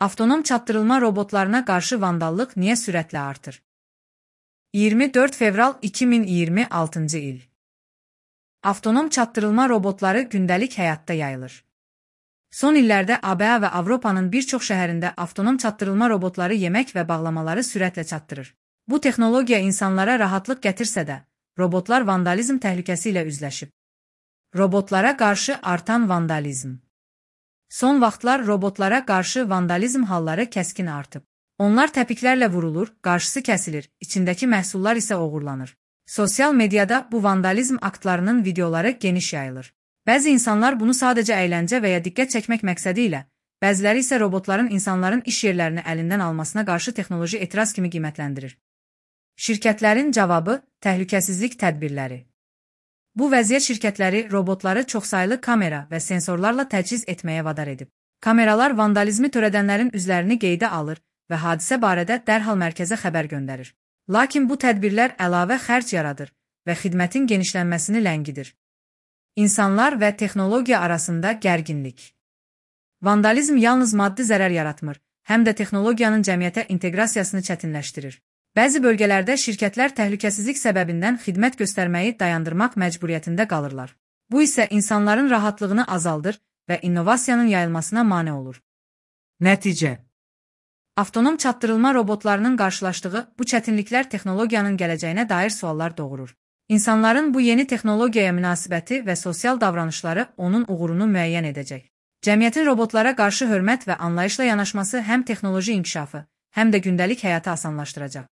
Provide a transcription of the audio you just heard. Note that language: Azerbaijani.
Avtonom çatdırılma robotlarına qarşı vandallıq niyə sürətlə artır? 24 fevral 2026-cı il. Avtonom çatdırılma robotları gündəlik həyatda yayılır. Son illərdə ABA və Avropanın bir çox şəhərində avtonom çatdırılma robotları yemək və bağlamaları sürətlə çatdırır. Bu texnologiya insanlara rahatlıq gətirsə də, robotlar vandalizm təhlükəsi ilə üzləşib. Robotlara qarşı artan vandalizm. Son vaxtlar robotlara qarşı vandalizm halları kəskin artıb. Onlar təpiklərlə vurulur, qarşısı kəsilir, içindəki məhsullar isə oğurlanır. Sosial mediada bu vandalizm aktlarının videoları geniş yayılır. Bəzi insanlar bunu sadəcə əyləncə və ya diqqət çəkmək məqsədi ilə, bəziləri isə robotların insanların iş yerlərini əlindən almasına qarşı texnoloji etiraz kimi qiymətləndirir. Şirkətlərin cavabı, təhlükəsizlik tədbirləri. Bu vəziyyət şirkətləri robotları çoxsaylı kamera və sensorlarla təchiz etməyə vadar edib. Kameralar vandalizmi törədənlərin üzlərini qeydə alır və hadisə barədə dərhal mərkəzə xəbər göndərir. Lakin bu tədbirlər əlavə xərc yaradır və xidmətin genişlənməsini ləngidir. İnsanlar və texnologiya arasında gərginlik. Vandalizm yalnız maddi zərər yaratmır, həm də texnologiyanın cəmiyyətə inteqrasiyasını çətinləşdirir. Bəzi bölgələrdə şirkətlər təhlükəsizlik səbəbindən xidmət göstərməyi dayandırmaq məcburiyyətində qalırlar. Bu isə insanların rahatlığını azaldır və innovasiyanın yayılmasına mane olur. Nəticə. Avtonom çatdırılma robotlarının qarşılaşdığı bu çətinliklər texnologiyanın gələcəyinə dair suallar doğurur. İnsanların bu yeni texnologiyaya münasibəti və sosial davranışları onun uğurunu müəyyən edəcək. Cəmiyyətin robotlara qarşı hörmət və anlayışla yanaşması həm texnoloji inkişafı, həm də gündəlik həyatı asanlaşdıracaq.